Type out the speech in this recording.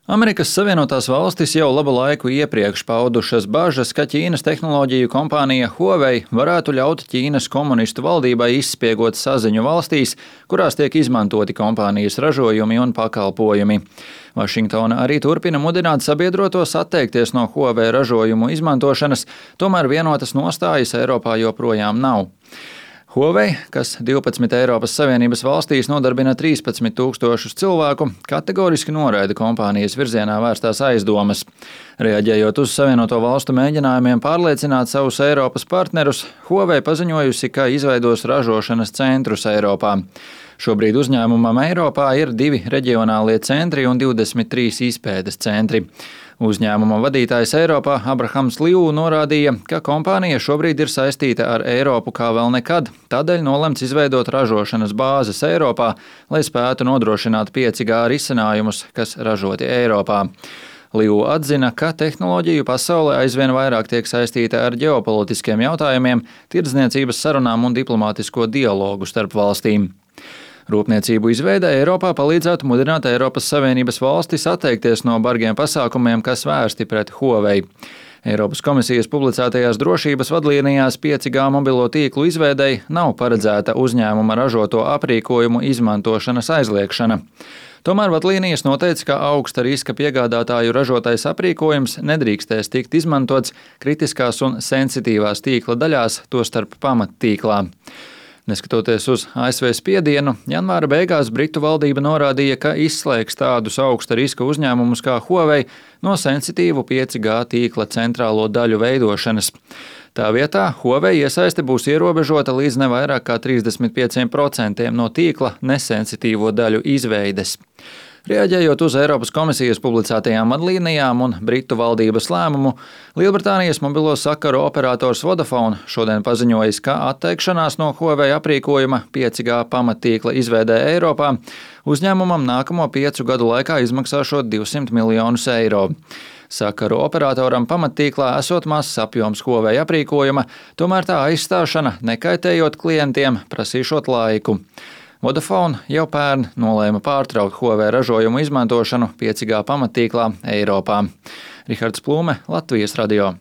Amerikas Savienotās valstis jau labu laiku iepriekš paudušas bažas, ka Ķīnas tehnoloģiju kompānija Huawei varētu ļaut Ķīnas komunistu valdībai izspiegot saziņu valstīs, kurās tiek izmantoti kompānijas ražojumi un pakalpojumi. Vašingtona arī turpina mudināt sabiedrotos atteikties no Huawei ražojumu izmantošanas, tomēr vienotas nostājas Eiropā joprojām nav. Huawei, kas 12 Eiropas Savienības valstīs nodarbina 13 000 cilvēku, kategoriski noraida kompānijas virzienā vērstās aizdomas. Reaģējot uz Savienoto valstu mēģinājumiem pārliecināt savus Eiropas partnerus, Huawei paziņojusi, ka izveidos ražošanas centrus Eiropā. Šobrīd uzņēmumam Eiropā ir 2 reģionālie centri un 23 izpētes centri. Uzņēmuma vadītājs Eiropā Abrahams Liu norādīja, ka kompānija šobrīd ir saistīta ar Eiropu kā vēl nekad, tādēļ nolemts izveidot ražošanas bāzes Eiropā, lai spētu nodrošināt 5G risinājumus, kas ražoti Eiropā. Liu atzina, ka tehnoloģiju pasaulē aizvien vairāk tiek saistīta ar ģeopolitiskiem jautājumiem, tirdzniecības sarunām un diplomātisko dialogu starp valstīm. Rūpniecību izveide Eiropā palīdzētu mudināt Eiropas Savienības valstis atteikties no bargiem pasākumiem, kas vērsti pret Huawei. Eiropas komisijas publicētajās drošības vadlīnijās 5G mobilo tīklu izveidei nav paredzēta uzņēmuma ražoto aprīkojumu izmantošanas aizliekšana. Tomēr vadlīnijas noteica, ka augsta riska piegādātāju ražotais aprīkojums nedrīkstēs tikt izmantots kritiskās un sensitīvās tīkla daļās, tostarp pamattīklā. Neskatoties uz ASV spiedienu, janvāra beigās Britu valdība norādīja, ka izslēgs tādus augsta riska uzņēmumus kā Huawei no sensitīvu 5G tīkla centrālo daļu veidošanas. Tā vietā Huawei iesaiste būs ierobežota līdz ne vairāk kā 35% no tīkla nesensitīvo daļu izveides. Reaģējot uz Eiropas komisijas publicētajām vadlīnijām un Britu valdības lēmumu, Lielbritānijas mobilo sakaru operators Vodafone šodien paziņojis, ka atteikšanās no Huawei aprīkojuma 5G pamattīkla izveidē Eiropā uzņēmumam nākamo 5 gadu laikā izmaksāšot 200 miljonus eiro. Sakaru operatoram pamattīklā esot mazs apjoms Huawei aprīkojuma, tomēr tā aizstāšana, nekaitējot klientiem, prasīšot laiku. Vodafone jau pērn nolēma pārtraukt Huawei ražojumu izmantošanu 5G pamattīklā Eiropā. Rihards Plūme, Latvijas radio.